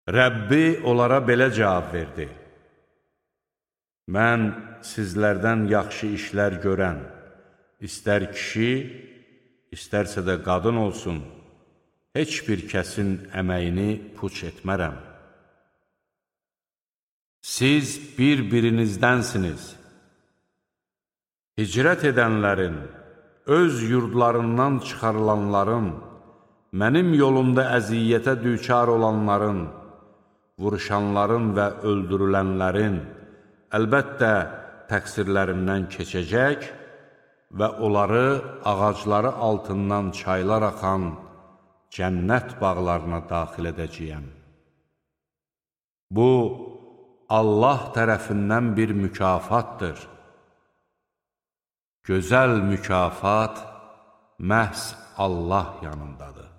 Rəbbi onlara belə cavab verdi: Mən sizlərdən yaxşı işlər görən, istər kişi, istərsə də qadın olsun, heç bir kəsin əməyini puç etmərəm. Siz bir-birinizdənsiniz. Hicrət edənlərin, öz yurdlarından çıxarılanların, mənim yolumda əziyyətə düçar olanların, vuruşanların və öldürülənlərin, əlbəttə təqsirlərindən keçəcək və onları ağacları altından çaylar axan cənnət bağlarına daxil edəcəyəm. Bu, Allah tərəfindən bir mükafatdır. Gözəl mükafat məhz Allah yanındadır.